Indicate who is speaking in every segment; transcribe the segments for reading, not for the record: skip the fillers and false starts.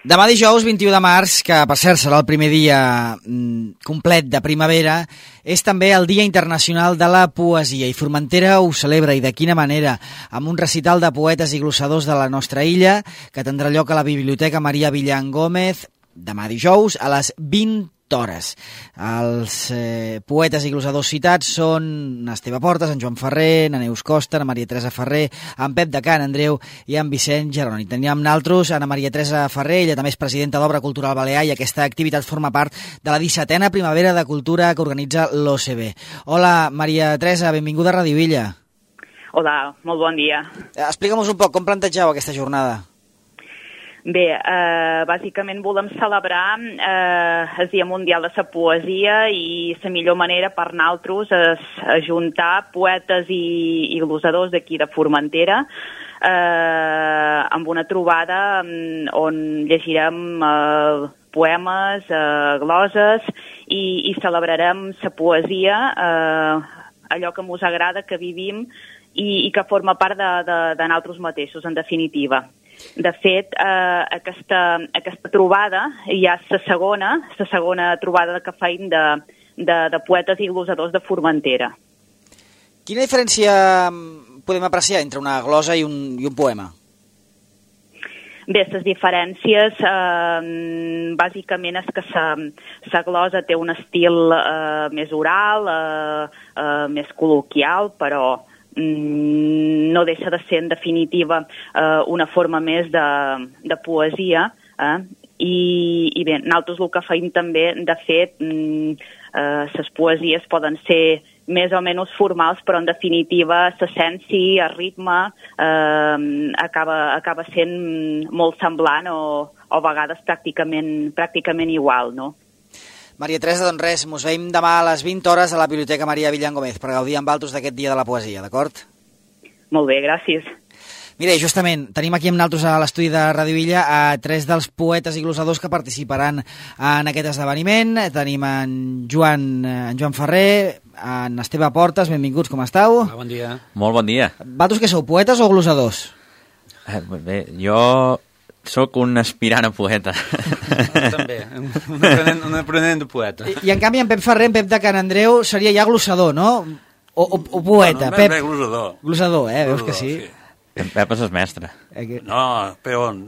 Speaker 1: Demà dijous 21 de març, que per cert serà el primer dia complet de primavera, és també el Dia Internacional de la Poesia i Formentera ho celebra, i de quina manera, amb un recital de poetes i glossadors de la nostra illa que tindrà lloc a la Biblioteca Maria Villan Gómez demà dijous a les 20 hores. Els poetes i glossadors citats són Esteve Portes, en Joan Ferrer, na Neus Costa, na Maria Teresa Ferrer, en Pep de Can Andreu i en Vicent Geroni. Teníem naltros Ana Maria Teresa Ferrer, ella també és presidenta d'Obra Cultural Balear, i aquesta activitat forma part de la 17a Primavera de Cultura que organitza l'OCB. Hola, Maria Teresa, benvinguda a Radio Illa.
Speaker 2: Hola, molt bon dia.
Speaker 1: Explica'm-nos un poc com plantegeu aquesta jornada.
Speaker 2: Bé, bàsicament volem celebrar el Dia Mundial de la Poesia, i la millor manera per nosaltres és ajuntar poetes i glossadors d'aquí de Formentera amb una trobada on llegirem poemes, gloses i celebrarem la poesia, allò que ens agrada, que vivim i que forma part de nosaltres mateixos, en definitiva. De fet, aquesta trobada ja és la segona trobada que feim de poetes i glossadors de Formentera.
Speaker 1: Quina diferència podem apreciar entre una glosa i un poema?
Speaker 2: Bé, les diferències bàsicament és que la glosa té un estil més oral, més col·loquial, però no deixa de ser, en definitiva, una forma més de poesia, i bé, nosaltres el que feim també, de fet, les poesies poden ser més o menys formals, però en definitiva l'essència, el ritme, acaba sent molt semblant o a vegades pràcticament igual, no?
Speaker 1: Maria Teresa, doncs res, mos veiem demà a les 20 hores a la Biblioteca Maria Villan Gómez per gaudir amb altres d'aquest Dia de la Poesia, d'acord?
Speaker 2: Molt bé, gràcies.
Speaker 1: Mira, justament, tenim aquí amb nosaltres a l'estudi de Radio Illa a 3 dels poetes i glossadors que participaran en aquest esdeveniment. Tenim en Joan Ferrer, en Esteve Portes, benvinguts, com esteu?
Speaker 3: Hola, bon dia.
Speaker 4: Molt bon dia.
Speaker 1: Vosaltres què sou, poetes o glossadors?
Speaker 4: Bé, jo sóc un aspirant a poeta.
Speaker 3: També, un aprenent de poeta.
Speaker 1: I en canvi en Pep Ferrer, en Pep de Can Andreu, seria ja glossador, no? O poeta.
Speaker 5: No,
Speaker 1: Pep...
Speaker 5: glossador.
Speaker 1: Glossador, veus que sí?
Speaker 4: En Pep és el mestre.
Speaker 5: No, peon.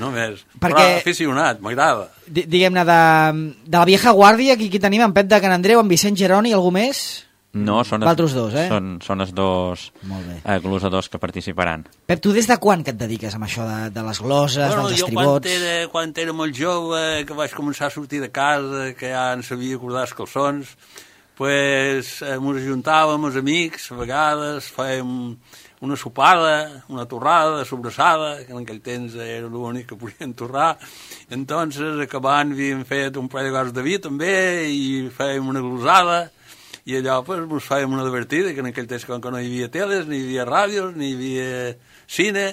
Speaker 5: Només.
Speaker 1: Perquè...
Speaker 5: Però aficionat, m'agrada.
Speaker 1: Diguem-ne, de la vieja guàrdia, aquí tenim en Pep de Can Andreu, en Vicent Geroni, algú més?
Speaker 4: No, són
Speaker 1: els dos,
Speaker 4: són els dos glossadors que participaran.
Speaker 1: Pep, tu des de quan que et dediques amb això de les gloses, dels estribots?
Speaker 5: Jo quan era molt jove, que vaig començar a sortir de casa, que ja en sabia acordar els calçons, pues ens ajuntàvem els amics, a vegades fèiem una sopada, una torrada de sobrassada, que en aquell temps era l'únic que podien torrar. Entonces, acabant, havíem fet un parell de gots de vi també, i fèiem una glosada, i allò pues, ens fèiem una divertida, que en aquell temps com que no hi havia teles, ni hi havia ràdios, ni hi havia cine,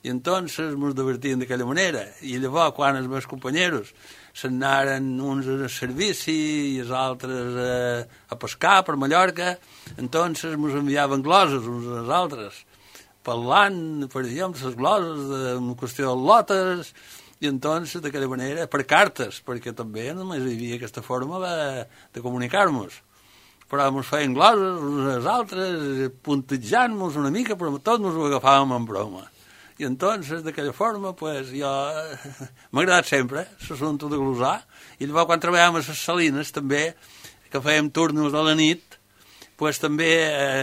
Speaker 5: i entonces ens divertíem d'aquella manera. I llavors, quan els meus companyeros se'n anaren uns a servici i els altres a pescar per Mallorca, entonces ens enviaven gloses uns als altres, parlant, per exemple, les gloses d'una qüestió de lotes, i entonces d'aquella manera, per cartes, perquè també només hi havia aquesta forma de comunicar-nos. Però ens feien gloses uns als altres, puntejant-nos una mica, però tots ens ho agafàvem en broma. I entonces, d'aquella forma, pues, jo m'ha agradat sempre l'assumpte de glosar. I llavors, quan treballàvem a les salines, també, que fèiem turnos a la nit, pues, també,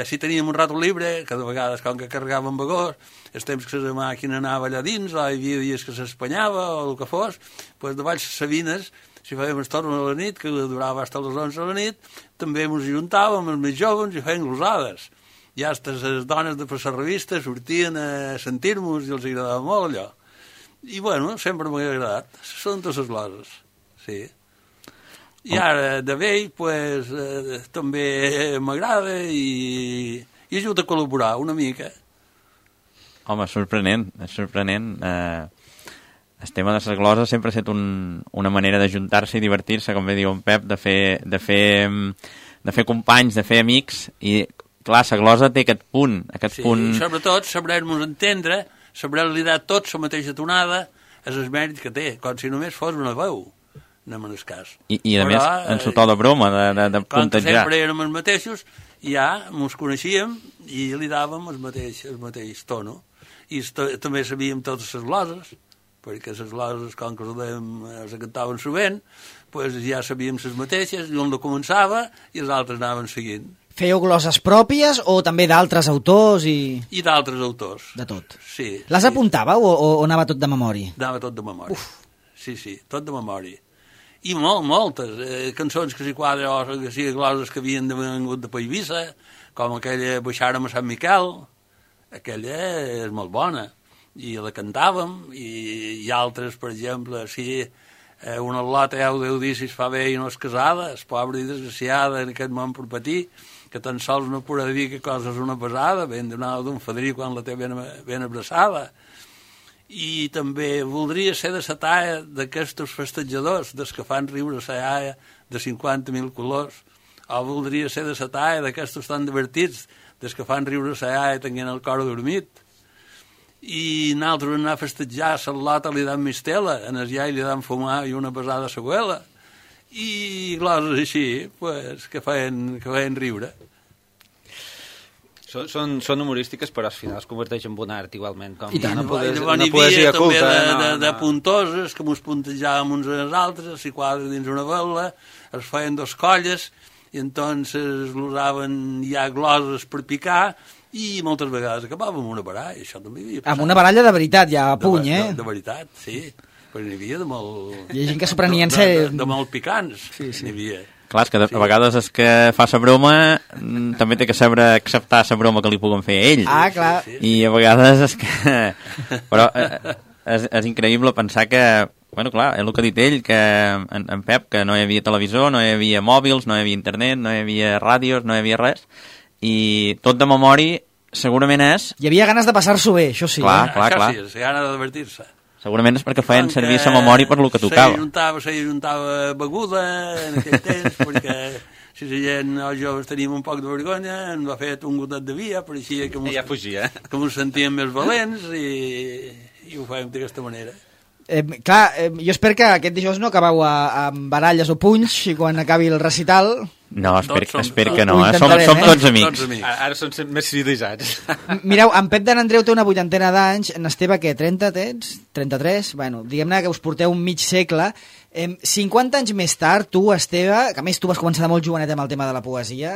Speaker 5: si teníem un rato libre, que de vegades, com que carregàvem vagós, els temps que la màquina anava allà dins, o hi havia dies que s'espanyava, o el que fos, pues, davall les sabines, si fèiem els torns a la nit, que durava fins a les 11 a la nit, també ens ajuntàvem, els més joves, i fèiem glosades. I hasta les dones de per la revista sortien a sentir-nos i els agradava molt allò. I, bueno, sempre m'ha agradat. Són totes les gloses, sí. I ara, de vell, pues, també m'agrada i ajuda a col·laborar una mica.
Speaker 4: Home, sorprenent, és sorprenent. El tema de les gloses sempre ha estat una manera d'ajuntar-se i divertir-se, com bé diu en Pep, de fer companys, de fer amics, i clar, la glosa té aquest punt.
Speaker 5: Sí, punt... sobretot sabrem-nos entendre, sabrem liderar tots la mateixa tonada, és el mèrit que té, com si només fos una veu, anem en el cas.
Speaker 4: I a més, en su to de broma, de
Speaker 5: com que
Speaker 4: puntejar.
Speaker 5: sempre érem els mateixos, ja mos coneixíem i li dàvem el mateix tono. I també sabíem totes les gloses, perquè les gloses, com que les cantaven sovint, pues ja sabíem les mateixes, i un la començava i els altres anaven seguint.
Speaker 1: Fèieu gloses pròpies o també d'altres autors i...
Speaker 5: I d'altres autors.
Speaker 1: De tot.
Speaker 5: Sí.
Speaker 1: Les
Speaker 5: sí.
Speaker 1: apuntàveu o anava tot de memòria?
Speaker 5: Anava tot de memòria. Sí, tot de memòria. I moltes cançons que s'hi quadren o que sigui gloses que havien vengut de Paivissa, com aquella Baixàrem a Sant Miquel, aquella és molt bona, i la cantàvem, i altres, per exemple, si una lota Déu dicis fa bé i no és casada, és pobra i desgraciada en aquest món per patir, que tan sols no podrà dir que cosa és una pesada, ben donada d'un fadrí quan la té ben abraçada. I també voldria ser de la talla d'aquests festejadors, dels que fan riure la iaia de 50.000 colors, o voldria ser de la talla d'aquests tan divertits, dels que fan riure la iaia tenint el cor dormit. I nosaltres anar a festejar, a l'Lota li dan mistela, en el iai li dan fumar i una pesada a la abuela, i gloses així, pues, que feien riure.
Speaker 3: Són humorístiques, però al final es converteix en un art igualment, com una
Speaker 5: poesia
Speaker 3: poesia culta.
Speaker 5: De puntoses, que mos puntejàvem uns als altres, s'hi quadra dins una vela, es feien dos colles, i entonces l'usaven ja gloses per picar, i moltes vegades acabàvem amb una baralla, això també hi havia passat.
Speaker 1: Amb una baralla de veritat, ja a puny,
Speaker 5: De veritat, sí, però n'hi havia de molt...
Speaker 1: Hi ha gent que s'ho prenien ser...
Speaker 5: De molt picants, n'hi havia.
Speaker 4: Clar, és que a vegades és que fa la broma també té que saber acceptar la broma que li puguen fer a ell.
Speaker 1: Ah, clar.
Speaker 4: I a vegades és que... Però és increïble pensar que... Bueno, clar, és el que ha dit ell, que en Pep, que no hi havia televisor, no hi havia mòbils, no hi havia internet, no hi havia ràdios, no hi havia res, i tot de memòria segurament és...
Speaker 1: Hi havia ganes de passar-s'ho bé, això sí.
Speaker 4: Clar.
Speaker 5: Això sí, és gana de divertir-se.
Speaker 4: Segurament és perquè feien servir la memòria per lo que tocava.
Speaker 5: Se juntava beguda en aquell temps, perquè si la gent, els joves teníem un poc de vergonya, ens va fer un gotet de via, pareixia que
Speaker 3: ja fugia.
Speaker 5: Que ens sentíem més valents i ho fèiem d'aquesta manera.
Speaker 1: Jo espero que aquest dijous no acabeu amb baralles o punys i quan acabi el recital...
Speaker 4: No, espero que no. Som tots amics.
Speaker 3: Ara són més civilitzats.
Speaker 1: Mireu, en Pep d'en Andreu té una 80 d'anys, en Esteve, què, 30 tens? 33? Bueno, diguem-ne que us porteu un mig segle. 50 anys més tard, tu, Esteve, que a més tu vas començar de molt jovenet amb el tema de la poesia,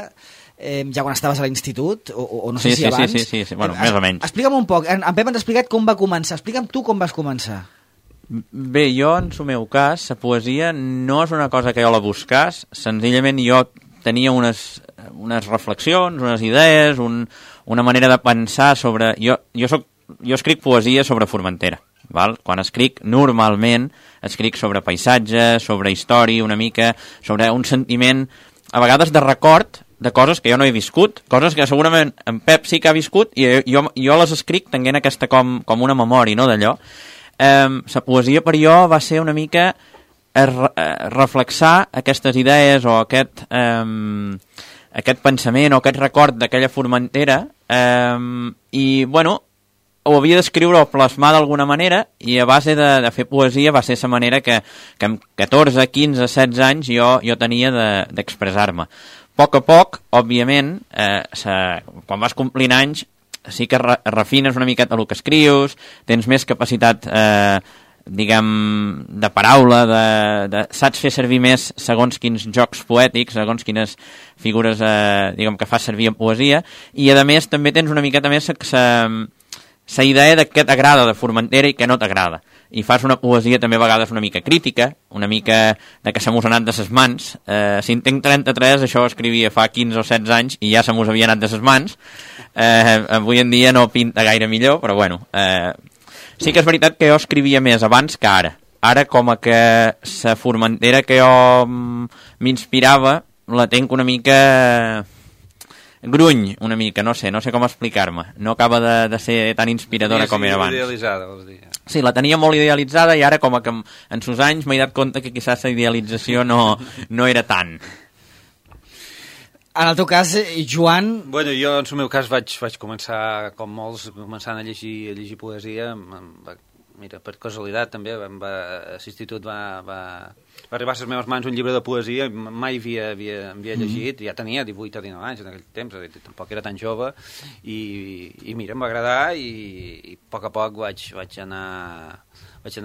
Speaker 1: ja quan estaves a l'institut, o no sé si abans...
Speaker 4: Sí, bueno, més o menys.
Speaker 1: Explica'm un poc, en Pep ens ha explicat com va començar. Explica'm tu com vas començar.
Speaker 4: Bé, jo, en el meu cas, la poesia no és una cosa que jo la buscàs, senzillament jo tenia unes reflexions, unes idees, una manera de pensar sobre... Jo escric poesia sobre Formentera, val? Quan escric, normalment, escric sobre paisatge, sobre història, una mica, sobre un sentiment, a vegades de record, de coses que jo no he viscut, coses que segurament en Pep sí que ha viscut, i jo les escric tenint aquesta com una memòria, no, d'allò. La poesia per jo va ser una mica reflexar aquestes idees o aquest pensament o aquest record d'aquella Formentera i, bueno, ho havia d'escriure o plasmar d'alguna manera i a base de fer poesia va ser la manera que amb 14, 15, 16 anys jo tenia d'expressar-me. A poc, òbviament, quan vas complint anys, sí que refines una miqueta el que escrius, tens més capacitat, diguem, de paraula, saps fer servir més segons quins jocs poètics, segons quines figures, diguem, que fas servir en poesia, i a més també tens una miqueta més la idea de què t'agrada de Formentera i què no t'agrada. I fas una poesia també a vegades una mica crítica, una mica de que se m'us ha anat de ses mans. Si en tinc 33, això ho escrivia fa 15 o 16 anys i ja se m'us havia anat de ses mans. Avui en dia no pinta gaire millor, però bueno. Sí que és veritat que jo escrivia més abans que ara. Ara, com a que la Formentera que jo m'inspirava, la tenc una mica... gruny, una mica, no sé com explicar-me. No acaba de ser tan inspiradora com era abans.
Speaker 3: Idealitzada, vols dir.
Speaker 4: Sí, la tenia molt idealitzada i ara com que en sus anys m'he dat compte que quizás la idealització no era tant.
Speaker 1: En el teu cas, Joan...
Speaker 3: Bueno, jo en el meu cas vaig començar, com molts, començant a llegir poesia. mira, per casualitat també, a l'institut va arribar a les meves mans un llibre de poesia, mai havia llegit, ja tenia 18 o 19 anys en aquell temps, tampoc era tan jove, i mira, em va agradar i a poc vaig anar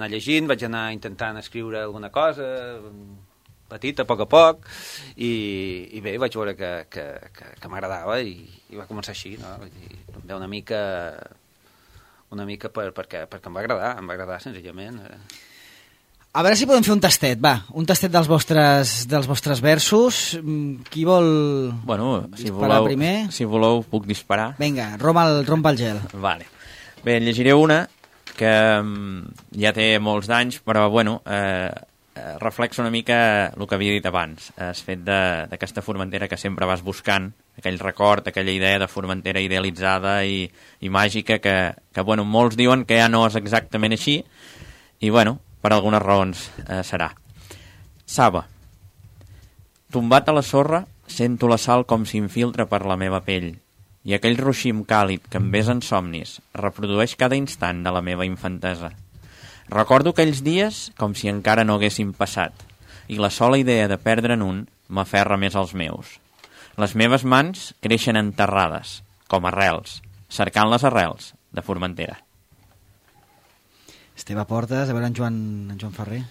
Speaker 3: llegint, vaig anar intentant escriure alguna cosa, petita, a poc, i bé, vaig veure que m'agradava i va començar així, no? També una mica perquè em va agradar senzillament.
Speaker 1: A veure si podem fer un tastet, un tastet dels vostres versos. Qui vol disparar primer?
Speaker 4: Si voleu, puc disparar.
Speaker 1: Vinga, rompa el gel.
Speaker 4: Vale. Bé, en llegiré una que ja té molts d'anys, però reflexa una mica el que havia dit abans, el fet d'aquesta Formentera que sempre vas buscant, aquell record, aquella idea de Formentera idealitzada i màgica que molts diuen que ja no és exactament així i per algunes raons serà. Saba. Tombat a la sorra, sento la sal com s'infiltra per la meva pell i aquell ruixim càlid que em besa en somnis reprodueix cada instant de la meva infantesa. Recordo aquells dies com si encara no haguessin passat i la sola idea de perdre'n un m'aferra més als meus. Les meves mans creixen enterrades, com arrels, cercant les arrels de Formentera.
Speaker 1: Esteve Portes, a veure en Joan Ferrer.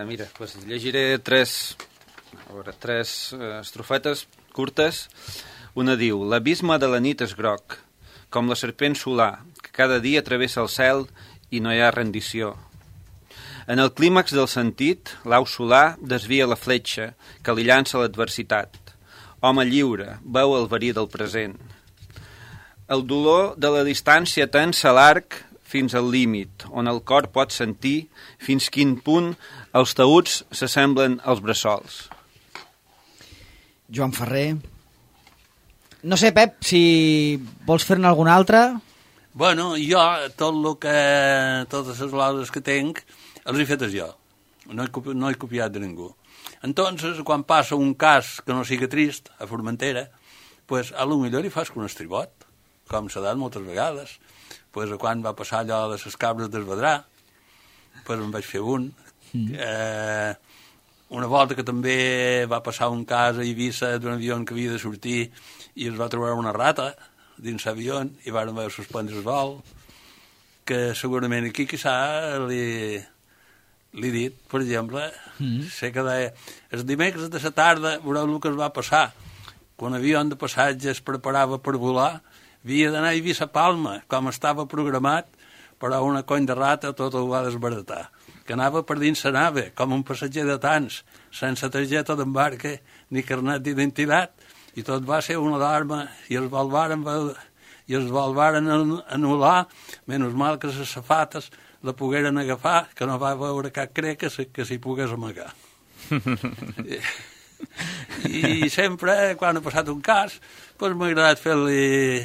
Speaker 3: Mira, llegiré tres estrofetes curtes. Una diu: l'abisme de la nit és groc, com la serpent solar, que cada dia travessa el cel i no hi ha rendició. En el clímax del sentit, l'au solar desvia la fletxa que li llança l'adversitat. Home lliure, veu el verí del present. El dolor de la distància tensa l'arc fins al límit, on el cor pot sentir fins quin punt els taüts s'assemblen als bressols.
Speaker 1: Joan Ferrer. No sé, Pep, si vols fer-ne alguna altra.
Speaker 5: Bueno, jo, totes les laudes que tenc, els he fetes jo. No he copiat de ningú. Entonces, quan passa un cas que no sigui trist, a Formentera, pues, a lo millor hi fas un estribot, com s'ha dat moltes vegades. Pues, quan va passar allò de les cabres del Vedrà, pues, en vaig fer un. Una volta que també va passar un cas a Eivissa d'un avió que havia de sortir i es va trobar una rata dins l'avió i van haver de suspendre el vol, que segurament aquí quizà li dit, per exemple, sé que deia, els dimecres de la tarda veureu el que es va passar. Quan l'avió de passatge es preparava per volar, havia d'anar a Eivissa Palma, com estava programat, però una cony de rata tot ho va desbaratar, que anava per dins la nave, com un passatger de tants, sense targeta d'embarque ni carnet d'identitat, i tot va ser una alarma, i els vol varen anul·lar, menys mal que les safates la pogueren agafar, que no va veure cap crec que s'hi pogués amagar. I sempre, quan ha passat un cas, doncs m'ha agradat fer-li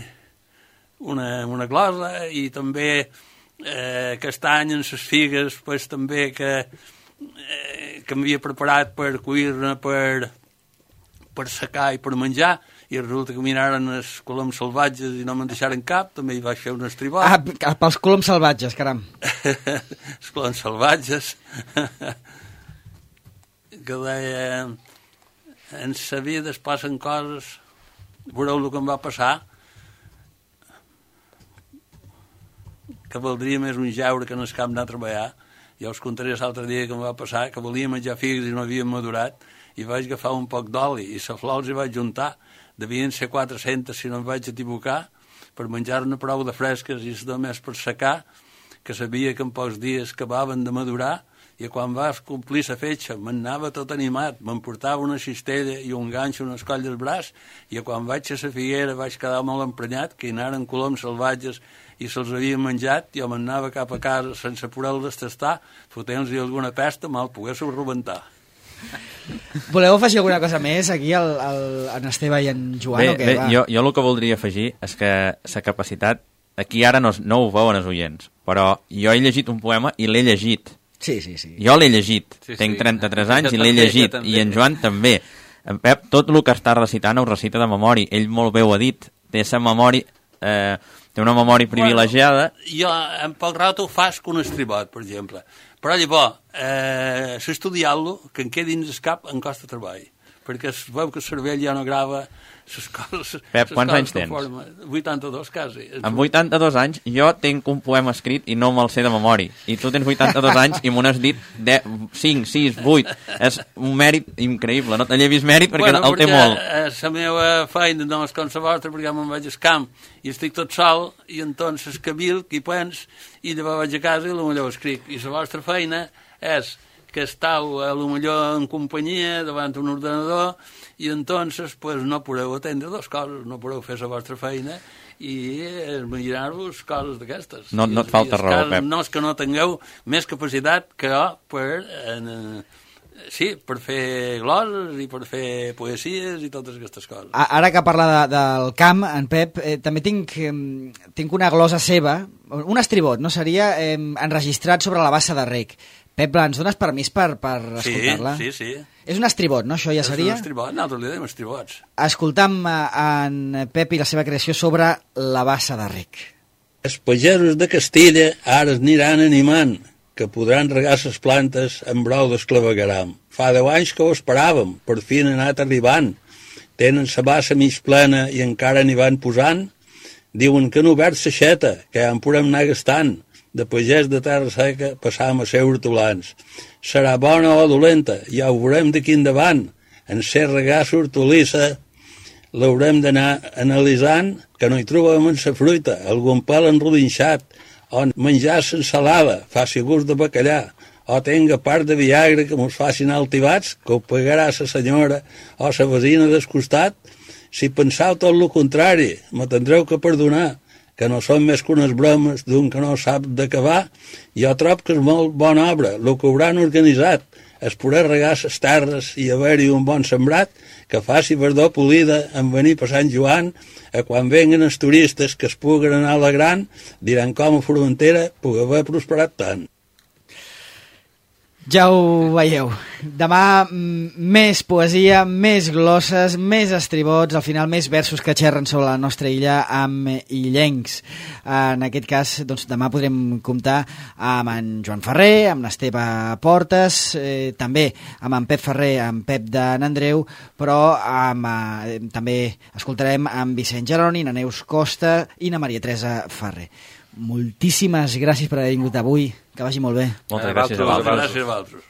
Speaker 5: una glosa, i també aquest any en les figues pues, també que m'havia preparat per cuir-ne, per secar i per menjar, i resulta que miraren els coloms salvatges i no me'n deixaren cap, també hi vaig fer un estribot.
Speaker 1: Pels coloms salvatges, caram.
Speaker 5: Els coloms salvatges. Que deia, en sa vida es passen coses, veureu el que em va passar, que valdria més un jaure que no es cap anar a treballar. Ja us contaré l'altre dia que em va passar, que volia menjar figues i no havien madurat, i vaig agafar un poc d'oli i la flor els hi vaig juntar. Devien ser 400, si no em vaig equivocar, per menjar-ne prou de fresques i només per secar, que sabia que en pocs dies acabaven de madurar, i quan vas complir la fetge m'anava tot animat, m'emportava una cistella i un ganxo en el coll del braç, i quan vaig a la figuera vaig quedar molt emprenyat, que hi anaren coloms salvatges i se'ls havien menjat, jo m'anava cap a casa sense poder-los tastar, fotent-los alguna pesta, me'l poguéssiu rebentar.
Speaker 1: Voleu afegir alguna cosa més aquí en Esteve i en Joan?
Speaker 4: Bé, jo el que voldria afegir és que la capacitat, aquí ara no ho veuen els oients, però jo he llegit un poema i l'he llegit.
Speaker 1: Sí.
Speaker 4: Jo l'he llegit, tenc 33 anys i l'he llegit, i en Joan també. En Pep, tot el que està recitant ho recita de memòria, ell molt bé ho ha dit, té la memòria té una memòria privilegiada.
Speaker 5: Bueno, jo, en poc rato, fas que un estribot, per exemple. Però llavors, s'estudiar-lo, que en quedi dins el cap, em costa treball. Perquè es veu que el cervell ja no grava les coses...
Speaker 4: Pep, quants anys tens?
Speaker 5: 82, quasi.
Speaker 4: Amb 82 anys, jo tinc un poema escrit i no me'l sé de memòria. I tu tens 82 anys i m'ho has dit 5, 6, 8. És un mèrit increïble. No te llevis mèrit perquè el té molt.
Speaker 5: La meva feina no és com la vostra, perquè me'n vaig al camp i estic tot sol, i entonces cabilc i pens, i llavors vaig a casa i potser escric. I la vostra feina és que estàu a lo millor en companyia davant un ordenador i entonces pues, no podeu atendre dues coses, no podeu fer la vostra feina i imaginar-vos coses d'aquestes.
Speaker 4: No et falta raó, Pep.
Speaker 5: No és que no tingueu més capacitat que jo per fer gloses i per fer poesies i totes aquestes coses.
Speaker 1: Ara que parla del camp, en Pep, també tinc una glosa seva, un estribot, no seria enregistrat sobre la bassa de rec. Pep, ens dones permís per escoltar-la?
Speaker 5: Sí.
Speaker 1: És un estribot, no? Això ja seria?
Speaker 5: És un estribot, nosaltres li dèiem estribots.
Speaker 1: Escoltam en Pep i la seva creació sobre la bassa de rec.
Speaker 6: Els pagesos de Castilla ara es aniran animant, que podran regar les plantes amb brou d'esclavagram. Fa 10 anys que ho esperàvem, per fi han anat arribant. Tenen la bassa mig plena i encara n'hi van posant. Diuen que han obert l'aixeta, que ja en podem anar gastant. De pagès de terra seca passam a ser hortolans. Serà bona o dolenta, ja ho veurem d'aquí endavant. En ser regar l'hortolissa l'haurem d'anar analitzant, que no hi trobem en la fruita, algun pèl enrodinxat, o menjar l'ensalada, faci gust de bacallà, o tenga part de viagra que mos facin altibats, que ho pagarà la senyora o la vecina del costat. Si pensau tot el contrari, me tindreu que perdonar, que no són més que unes bromes d'un que no sap d'acabar. Jo trob que és molt bona obra, el que hauran organitzat, és poder regar les terres i haver-hi un bon sembrat, que faci verdor polida en venir per Sant Joan, a quan venguen els turistes que es puguen anar alegrant, diran com a Formentera pugui haver prosperat tant.
Speaker 1: Ja ho veieu. Demà més poesia, més glosses, més estribots, al final més versos que xerren sobre la nostra illa amb illencs. En aquest cas, doncs, demà podrem comptar amb en Joan Ferrer, amb l'Esteve Portes, també amb en Pep Ferrer, amb Pep de Nandreu, però també escoltarem amb Vicent Geroni, na Neus Costa i na Maria Teresa Ferrer. Moltíssimes gràcies per haver vingut avui. Que vagi molt bé.
Speaker 4: Moltes gràcies a vosaltres.
Speaker 5: Gràcies a vosaltres.